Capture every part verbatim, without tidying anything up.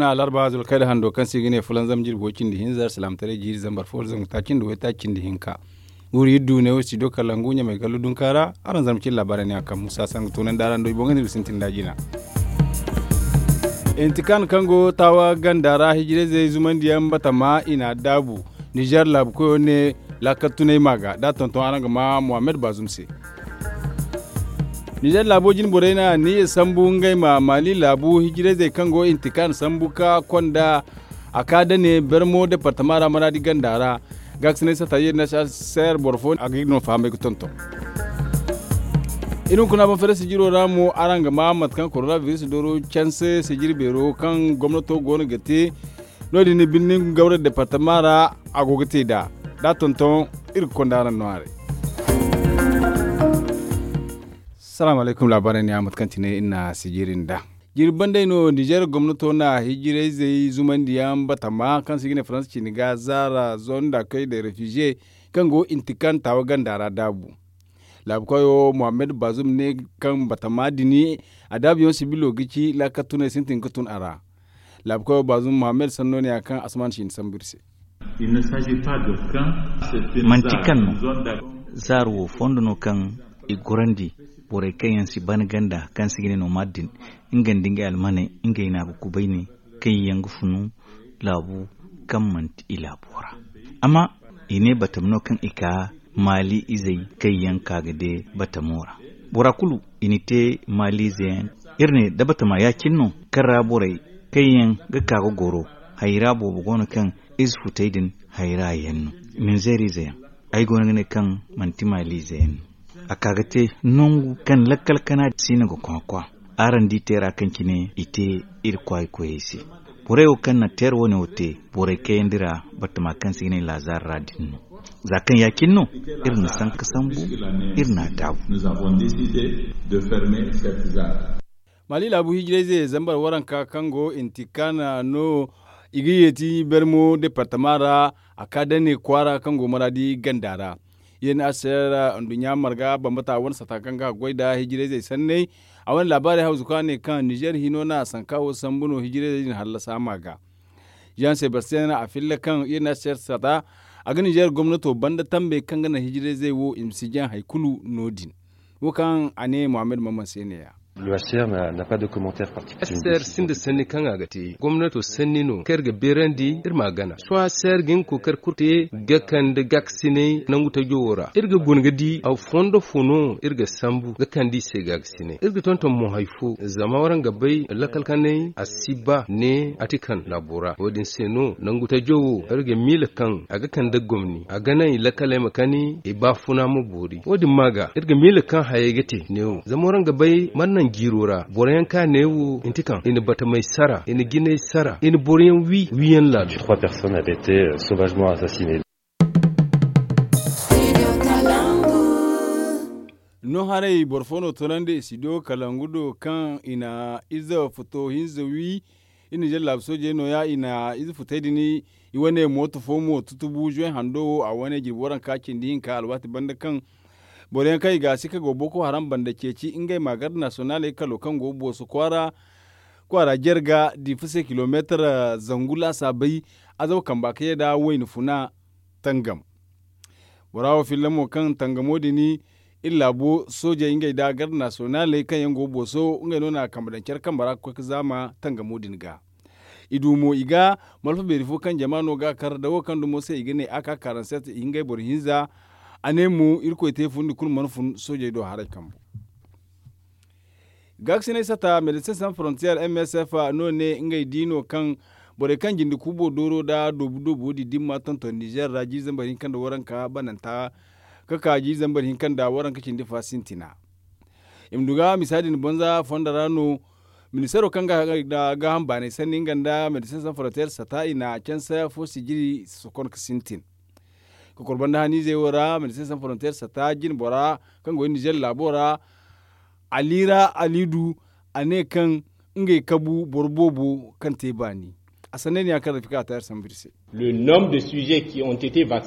Alarba zulkayda hando kaŋ se i ga ne fulanzam jirbi way cindi hinza alsilaamataray jiiri zambar fo zangu taaci nda waytaaci cindi hinka. Wuri iri du ne wo studio kalangu ɲamay gallo dunka ra. Araŋ zama cin laabaarey ne a kaŋ musa sangu toonandi araŋ do i boŋ ga ne iri sintin da jina. Intikan kaŋ go taawa ganda ra hijirayzey zumandiyaŋ batama i n'a daabu. Nizer laabu koyo ne laakal tunay ma ga da a tonton araŋ ga ma muhammad baazum se. Nizer laabo jine borey na niya sambu ngey ma maali laabu hijirayzey kaŋ go intikan sambu ka konda a ka dane bermo departama ra maraadi ganda ra. Gaakisinay sata yeeri na si a seer boro fo a ga no fahamay ga tonton. Iri hunkuna ban fere sijiro ra mo araŋ ga ma mate kaŋ korona biris dooro canse sijiri beero kaŋ gomnato go no ga te. No- din ni birnin gawra departama ra a go ga te nd'a da a tonton. Iri ga konda araŋ no haray. Salaamu alaykum laabaarey ne a mate kaŋ ti ne iri na sijiri nd'a. Jirbi banday no nizer gomnato na hijirayzey zumandiyaŋ batama kaŋ se i ga ne faransa cine ga zaara zonda kay da refize kaŋ go intikan taawa ganda ra daabu. Laabu koyo muhammad baazum ne kaŋ batama din a daabuyaŋ sibilo ga ci laakal tunay sintin ga tun a ra. Laabu koyo baazum muhammad sanno ne ya kaŋ asman si ni sambu iri se. Manti kaŋ no zaaro wo fondo no kaŋ i gorandi borey kaŋ yaŋ si ban ganda kaŋ se i ga ne no maadin nga nda ngey almaney ngey no a ga kubay ne kaŋ yaŋ ga funu laabu kaŋ manti i laabo ra. Amma i ne batama no kaŋ i ka maali izey kaŋ yaŋ ka ga de batamo ra. Bora kulu i na te maali ize yaŋ. Iri ne da batama ya- cine no kaŋ ra borey kaŋ yaŋ ga ka ga goro hayra boobo go no kaŋ ize futey din hayra yaŋ no. Minzeer ize yaŋ ay go no ga ne kaŋ manti maali ize yaŋ no. A ka ga te nangu kaŋ lakkal kana si no ga kwakwa. Araŋ di teera kaŋ cine i te iri kwaay koyey se. Borey wo kaŋ na teera wane wo te borey kayandi ra batama kaŋ se i ga ne laazar ra din no. Za kaŋ ya- cine no iri na sanka sambu iri n'a daabu. Maali laabu hijirayze zambar waranka kaŋ go intikana no i ga yeeti bermo departama ra. A ka dane kwaara kaŋ go maraadi ganda ra. Yen a se ra nduɲɲa marga bambata wane sata kaŋ ga goy nda hijirayzey sanney. A wane laabaarey hawzu kaŋ a ne kaŋ nizer hino na sanka wo sambu no hijirayzey din hallasa a ma ga. Jean sebastian a filla kaŋ yen a se ra sata a ga nizer gomnato banda tambey kaŋ ga naŋ hijirayzey wo i ma si jaŋ hari kulu no- din. Wo kaŋ a ne muhammad mamman se ne- ya. Ser sinda sanni kaŋ a ga te gomnato sanni no kaŋ iri ga beerandi iri ma a gana sohõ a ser ga hin kookari kulu te ga kande gaakasinay nangu tajo wo ra iri ga guna ga di a fondo fo no iri ga sambu ga kande i se gaakasinay iri ga tonton mo hari fo zama waraŋ ga bay lakal kanay a si ba ne a ti kaŋ laabo ra wo- din se no nangu tajo wo iri ga miila kaŋ a ga kande gomni a ga naŋ i lakaley ma kani i baafuna ma boori wo- din ma ga iri ga miila kaŋ hayey ga te neewo zama waraŋ ga bay mana naŋ jiiro ra boro yaŋ kaŋ a neewo i na ti kaŋ i na batamey sara i na jinay sara i na boro yaŋ wi wiyaŋ laalo. No haray boro fo no tunandi i si do kalangu do kaŋ i na ize futo hinza wi. Iri na jallaabu soojey nooya i na ize futey din i wane mooto fo mo tutubu zuwe hando wo a wane jirbi waranka cindi hinka alwaati banda kaŋ boro yaŋ kaŋ i ga a si ka go boko haram banda ceeci ngey ma garde nasiyonaaley kalo kaŋ go booso kwaara kwaara jarga diifa se kilomeetar zangu laasaabey. Azaw kamba ka ye nda wayna funa tangam. Bora wo filla mo kaŋ tangamo din iri laabo soojey ngey nda garde nasiyonaaley kaŋ yaŋ go booso ngey no na a kambe daŋ care kambe ra ga koy ga zaama tangamo din ga. I du mo i ga malfa beeri fo kaŋ jama no ga a kar da wo kaŋ dumo se i ga ne a ka karanset i ngey boro hinza. A ne mo irkoy te fundi kulu mana fun soojey do haray kambo. Gaakasinay sata medecin san frontier msf no ne ngey di no kaŋ borey kaŋ jinde kuubo dooro nda doobu doobu din dimma tonton nizer ra jiiri zambar hinka nda waranka bananta ka ka jiiri zambar hinka nda waranka cindi fa sintina. I ma du ga misa din banza fondo ra no ministaro kaŋ ga gaaham baanay sanni nga nda medecin san frontier sata i na canse fo sijiri sokon ga sintin. Ka kor banda haniizey wo ra medecin san frontier sata jine bora kaŋ go nizer laabo ra aliira aliidu a ne kaŋ ngey kabu boro boobo kaŋ te baani. A sanney ne ya kaŋ rafika a tayar sambu iri se.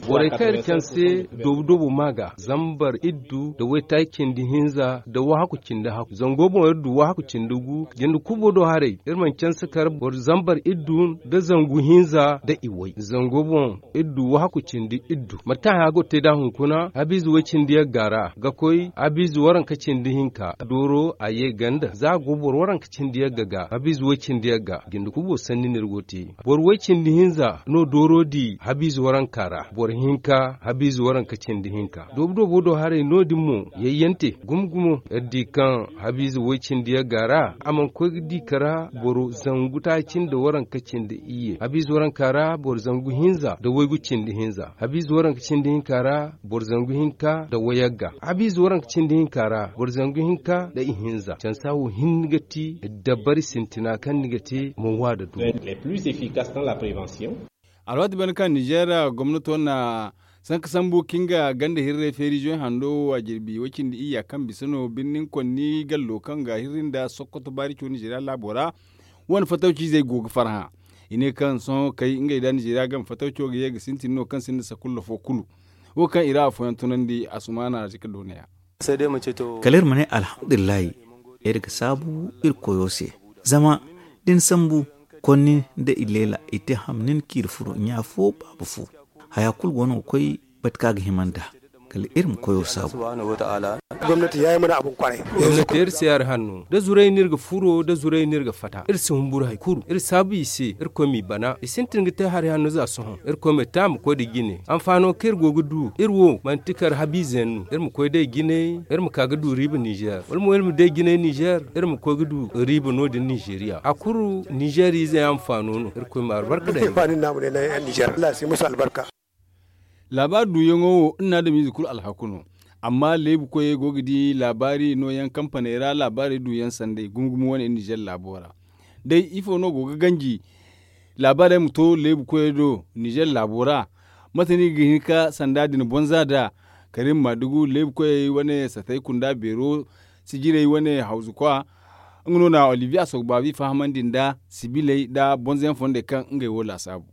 Borey kaŋ iri canse doobu doobu maa ga zambar iddu nda waytaaci cindi hinza nda wahakku cindi hakku zango boŋ iri du wahakku cindi gu. Jinde kubo do haray iri mana canse kar boro zambar iddu nda zangu hinza nda iway zango boŋ iri du wahakku cindi iddu mate kaŋ haya go te nd'a hunkuna habiize way cindi yagga ra ga koy habiize waranka cindi hinka dooro a ye ganda za a go boro waranka cindi yagga ga habiize way cindi yagga jinde kubo sanni no iri go te. Boro way cindi hinza no dooro di habiize waranka ra boro hinka habiize waranka cindi hinka doobu doobo do haray no- din mo yayyante gumo gumo iri di kaŋ habiize way cindi yagga ra a mana koy ga di kara boro zangu taaci nda waranka cindi iyye habiize waranka ra boro zangu hinza nda waygu cindi hinza habiize waranka cindi hinka ra boro zangu hinka nda wayagga habiize waranka cindi hinka ra boro zangu hinka nda ihinza cansa wo hinne ga ti dabari sintina kaŋ ni ga te ma wa nda du. Alwaati banda kaŋ ninzeer gomnato na sanka sambu ka nga ganda hirrey feerizoy hando wo a jirbi way cindi iyya kaŋ bisa no birnin konni gallo kaŋ ga hirri nda sokoto baarico ninzeeriya laabo ra. Wane fatawciizey go ga farhã i ne kaŋ sohõ kay ngey nda ninzeeriya game fatawco ga ye ga sintin no kaŋ sinda sakulla fo kulu. Wo kaŋ i ra afooyaŋ tunandi asumaana zika doona ya. Kala iri ma ne alhamdulillahi. Iri ga saabu iri koyo se zama da ni sambu konni nda ileela i te ham nin kaŋ iri furo ɲa fo baaba fo. Haya kulu go no ga koy bate kaŋ a ga hima nd'a kala iri ma koyo saabu. Gomnati iri se hari hanno da zuray no iri ga furo da zuray no iri ga fatta iri si humburu hari kulu iri saabu i se irkoy m'i bana i sintin ga te hari hanno za sohõ irkoy ma te a ma koy nda jine hanfaano kaŋ iri go ga du iri wo manti kar habiize yaŋ no iri ma koy day jinay iri ma ka ga du riiba ninzeer wala mo iri ma day jinay ninzeer iri ma koy ga du riiba no- din ninzeeriya hari kulu ninzeer ize yaŋ hanfaano no irkoy ma albarka daŋ. Laabaari duuyaŋo wo iri na adamiize kulu alhaku no. Amma leebu koyey go ga di laabaari nooyaŋ kampaney ra laabaarey duuyaŋ sanday gumo gumo wane iri ninzeer laabo ra. Day ifo no go ga ganji laabaarey ma to leebu koyey do ninzeer laabo ra? Mate no i ga hin ga sanda din bonza nd'a? Karim maadugu leebu koyey wane satay kunda beero sijirey wane hawzu kwa. Nga no na olivier asogbabi fahamandi nda sibiley nda bonza yaŋ fondey kaŋ ngey wo laasaabu.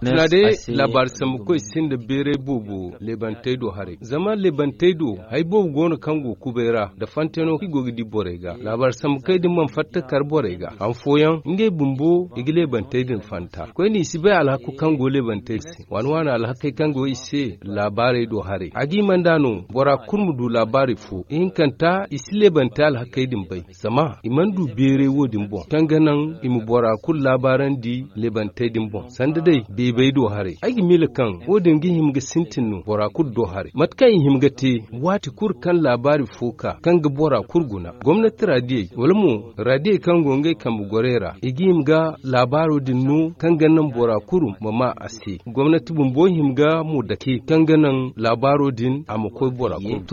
Tuna day laabaari sambukoy sinda beeray boobo leebantey do haray zama leebantey do hari boobo go no kaŋ go kubay ra nda fanteno kaŋ i go ga di borey ga laabaari sambukoy din mana fatta kar borey ga han fooyaŋ ngey bumbo i ga leebantey din fanta koyne i si bay alhaku kaŋ go leebantey din se waani waani alhakey kaŋ go i se laabaarey do haray a ga hima nd'a no bora kulu ma du laabaari fo ihinkanta i si leebantey alhakey din bay zama i mana du beeray wo- din boŋ kaŋ ga naŋ i ma bora kulu laabaarandi leebantey din boŋ sanda day beebey do haray ay ga miila kaŋ wo- din ga hima ga sintin no bora kulu do haray mate kaŋ i hima ga te waati kulu kaŋ laabaari fo ka kaŋ ga bora kulu guna gomnati raadiyey wala mo raadiyey kaŋ go ngey kambe gorey ra i ga hima ga laabaaro din no kaŋ ga naŋ bora kulu ma maa a se gomnati bumbo hima ga mo dake kaŋ ga naŋ laabaaro din a ma koy bora kulu.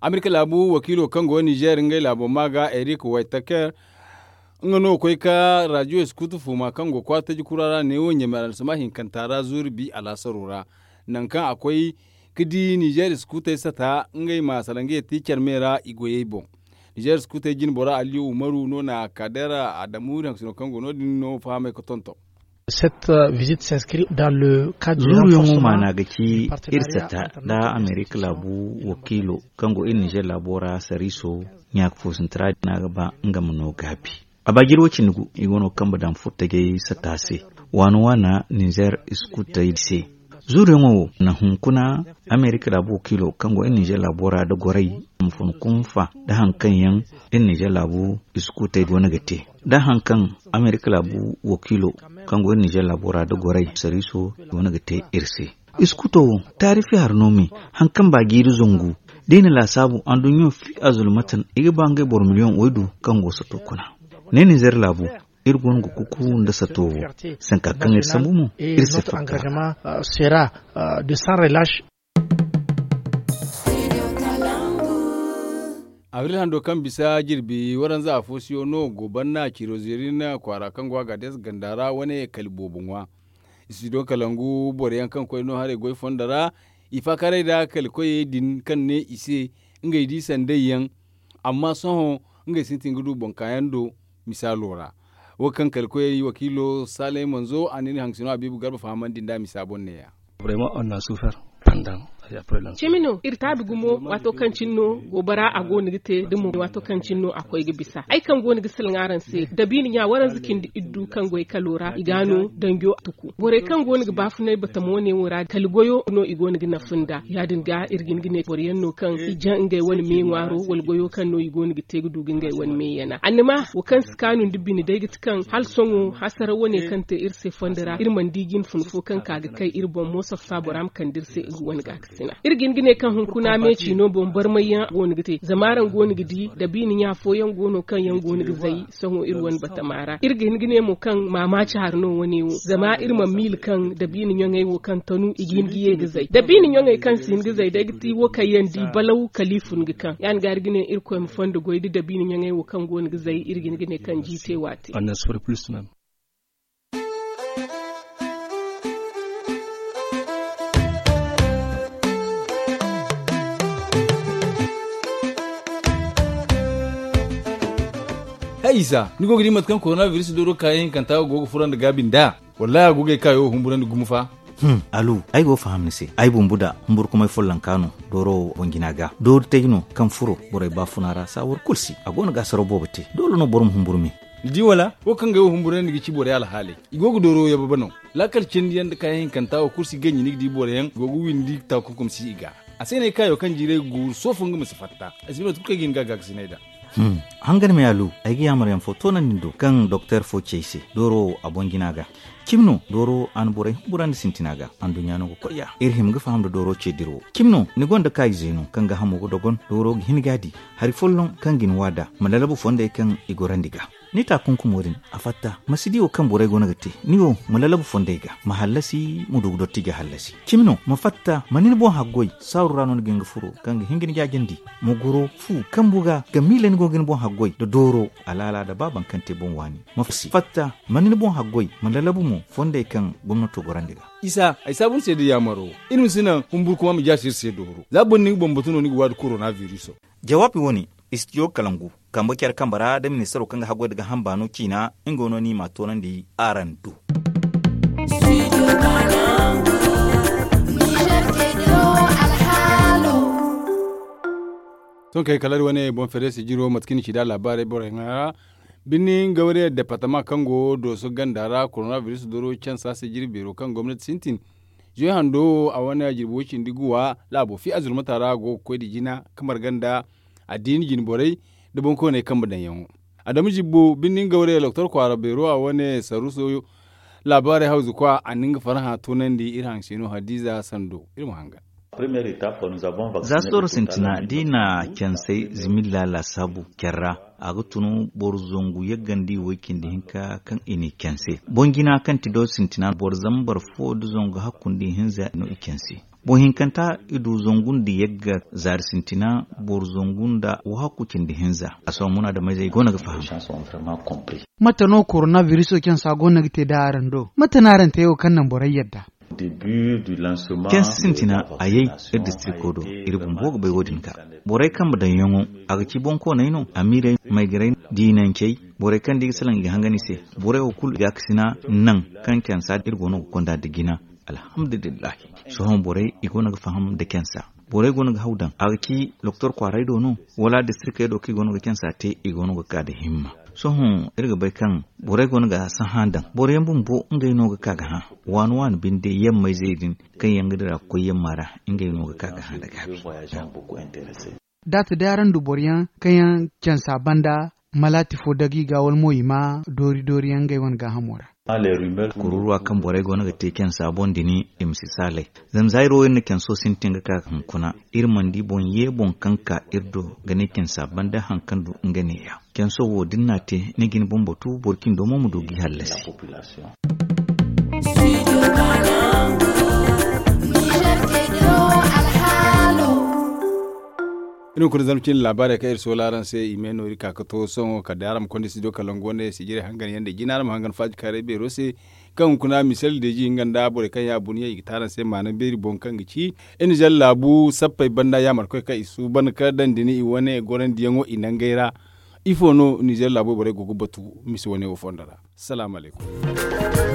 Amerika laabu wakiilo kaŋ go nizeer ngey laabo maa ga erik waytaker nga no koy ka raadiyo iskuutu fuuma kaŋ go kwaara taji kura ra neewo ɲamey alarasama hinkanta ra zuuri bi alaasaro ra. Nangu kaŋ a koy ka di nizeer iskuutey sata ngey ma salaŋ ga ye te care me ra i goyey boŋ. Nizeer iskuutey jine bora aliyu umaru no na kadeera adamu iri hangasino kaŋ go no- din no fahamay ga tonton. Zuuruyaŋo maana ga ci iri sata nda amerika laabu wakiilo kaŋ go iri nizeer laabo ra sariiso ɲaaka fo sinti ra din a ga ba nga ma no gaabi. A ba jiri wo cindi gu i go no ga kambe daŋ furtajey sata se waana waana nizeer iskuutey se. Zuuruyaŋo wo na hunkuna amerika laabu wakiilo kaŋ go iri nizeer laabo ra nda goray a ma fun kunfa nda hari kaŋ yaŋ iri nizeer laabu iskuutey go no ga te nda hari kaŋ amerika laabu wakiilo kaŋ go iri nizeer laabo ra nda goray sariiso go no ga te iri se. Iskuuto wo taarifi hari no me hari kaŋ ba jiiri zangu da i na laasaabu adduɲɲo fi a zulmatan i ga ba ngey boro miliyoŋ waydu kaŋ go sato kuna. Ne nizeer laabu iri go no ga kuku nda sato wo sanka kaŋ iri sambu mo iri si fatta. Abril hando kaŋ bisa jirbi waranza afo siyo no go banna ciro zeerin kwaara kaŋ go a ga des ganda ra wane kali boobo ŋwa. I si do kalangu boro yaŋ kaŋ koy no haray goy fondo ra i faakaray nda kali koyey din kaŋ ne i se ngey di sanday yaŋ. Amma sohõ ngey sintin ga du boŋ kaayaŋ do misaalo ra. Wo kaŋ kala koyey wakiilo saalay manzo a na iri haŋ sino habiibu garba fahamandi nd'a misa boŋ neeya. Cimi no iri taabi gumo waato kaŋ cine no goobara a go no ga te da mo waato kaŋ cine no a koy ga bisa ay kaŋ go no ga salaŋ araŋ se dabiina ɲa waranza cindi iddu kaŋ goy kalo ra i ga no danjo tuku borey kaŋ go no ga baafunay batama wane wo ra kala goyo no i go no ga nafa nda ya- din ga iri ga hin ga ne boro yaŋ no kaŋ i jaŋ ngey wane me ŋwaaro wala goyo kaŋ no i go no ga te ga du ga ngey wane me yana annama wo kaŋ si kaanu nda bine day ga ti kaŋ hala sohõ hasara wane kaŋ te iri se fondo ra iri mana di jine fun fo kaŋ ka ga kay iri boŋ mo saffa bora ma kande iri se nga wane ga ga sina iri ga hin ga ne kaŋ hunkuna meeci no boŋ barmay yaŋ go no ga te zama araŋ go no ga di dabiina ɲa fooyaŋ go no kaŋ yaŋ go no ga zay sohõ iri wane batama ra iri ga hin ga ne mo kaŋ maamaaci hari no wane wo zama iri mana miila kaŋ dabiina ɲaŋey wo kaŋ tanu i ga hin ga ye ga zay dabiina ɲaŋey kaŋ si hin ga zay day ga ti wo kaŋ yaŋ di balaw kala i fun ga kaŋ ya- din ga iri ga ne irkoy ma fondo goy da dabiina ɲaŋey wo kaŋ go no ga zay iri ga hin ga ne kaŋ jiite waati. Hay isa ni go ga di mate kaŋ korona biris dooro kaayaŋ hinkanta go ga furandi gaabi nd'a? Wallahi a go ga ay kaayo wo humburandi gumo fa. Alu, ay go ga faham ni se ay bumbu da humburkumay follonka no dooro wo boŋ jina ga doori tay no kaŋ furo borey baafuna ra saawar kulu si a go no ga asaraw boobo te doole no boro ma humburu me. Ni di wala wo kaŋ ga ay wo humburandi ga ci borey alhaaley i go ga dooro yababe no. Laakal cindi yaŋ nda kaayaŋ hinkanta wo kulu si ganji ni ga di boro yaŋ i go ga windi taakunkum si i ga. A se no ay kaayo kaŋ jiiray ga guuru soofo nga ma si fatta ay si bay mate kulu kaŋ ay ga hin ga a gaakasinay nd'a. Hangan me alu, ay ga yaamar yaŋ fo toonandi ni do kaŋ doktor fo ci ay se dooro wo a boŋ jina ga. Cimi no dooro a na borey humburandi sintina ga anduɲɲa no ga koy ya iri hima ga faham nda dooro ce dira wo cimi no ni gonda kaayize no kaŋ ga hamo ga dogon dooro ga hin ga a di hari folloŋ kaŋ ga ni waada ma lalabu fondey kaŋ i gorandi ga. Ni taakunkumo din a fatta ma si di wo kaŋ borey go no ga te ni wo ma lalabu fondey ga ma hallasi ma du ga dotti ga hallasi cimi no ma fatta ma ni ni boŋ haggoy saaru ra no ni ga hin ga furo kaŋ ga hin ga ni jaajandi ma goro fu kambu ga ga miila ni go ga ni boŋ haggoy nda dooro alaala nda ba baŋ kaŋ te boŋ waani ma fatta ma ni ni boŋ haggoy ma lalabu mo fondey kaŋ gomnato gorandi ga. Isa ay saabu ni se da yaamaro iri ma si naŋ humburkuma ma jaasi iri se dooro za boro na ni ga bambatu no ni ga waadi korona biriso. Jawaabi wo- ne istijo kalangu kambe care kambe ra da ministaro kaŋ ga haggoy nda ga hamba no ciina nga wo no ni ma a toonandi araŋ do. Sohõ kay kala iri wane boŋ feere sijiro mate kaŋ ni ci nd'a laabaarey borey ŋwa ra birni gawariya departama kaŋ go dooso ganda ra korona biris doro cansa sijiri beero kaŋ gomnati sintin zuwe hando wo a wane jirbi way cindi guwa laabo fi azurmata ra go ga koy nda jina kamar ganda addiini jinborey nda boŋkooney kambe daŋyaŋo. Adamu jibbo birni gawariya doktor kwaara beero a wane saruso laabaarey hawzu kwa a na nga farhã toonandi iri haŋ se no hadiiza sando iri ma hangan. Za sooro sintina da i na cansay zimilla laasaabu care ra a ga tun boro zangu yaggandi way cindi hinka kaŋ i n'i canse boŋ jina kaŋ ti do sintina boro zambar fo nda zangu hakku nda ihinza no i canse. Boŋ hinkanta i du zangu nda yagga zaari sintina boro zangu nda wahakku cindi hinza a sohõ munaadameyzey go no ga faham. Mate no korona biriso cansa go no ga te da araŋ do mate no araŋ te wo kaŋ naŋ borey yadda? Canse sintina a yay iri distriko do iri bumbo ga bay wo- din ga borey kambe daŋyaŋo a ga ci boŋkooney no amiirey maygarey diinancey borey kaŋ da i ga salaŋ i ga hangan i se borey wo kulu i ga a ga sina naŋ kaŋ cansa iri go no ga konda nda jina. Alhamdulillahi. Sohõ borey i go no ga faham nda cansa borey go no ga haw daŋ a ga ci doktor kwaaray do no wala distrikey do kaŋ i go no ga cansa te i go no ga ka nda himma. Sohõ iri ga bay kaŋ borey go no ga sahã daŋ boro yaŋ bumbo ngey no ga ka ga hã waani waani binde yammayzey din kaŋ yaŋ ga dira ga koy yamma ra ngey no ga ka ga hã nda gaabi. Daati day araŋ du boro yaŋ kaŋ yaŋ cansa banda malaati fo dagi ga wala mo i ma doori doori yaŋ ngey wane gaahamo ra. Kururuwa kaŋ borey go no ga te cansa boŋ din i ma si saalay. Zama za iri wo iri na canso sintin ga ka hunkuna iri mana di boŋ ye boŋ kaŋ ka iri do ga ne cansa banda haŋ kaŋ du nga neeya canso wo da ni n'a te ni ga ni boŋ batu boro cindo mo ma du g'i hallasi. Iri hunkuna zama cine laabaarey kaŋ iri soola araŋ se i me no iri ka ga to sohõ kala day araŋ ma konda studio kalangu wane sijirey hangan yaŋ day jina araŋ ma hangan faaji kaaray beero se. Kaŋ hunkuna misel deeji nga nda borey kaŋ ya buniya i ga te araŋ se maana beeri boŋ kaŋ ga ci iri na zalla laabu sappey banda yaamarkoy kaŋ i suuban ka daŋ da ni i wane gorandiyaŋo i nangey ra. Ifo no nizeer laabo borey go ga batu misi wane wo fondo ra? Salaamu alaykum.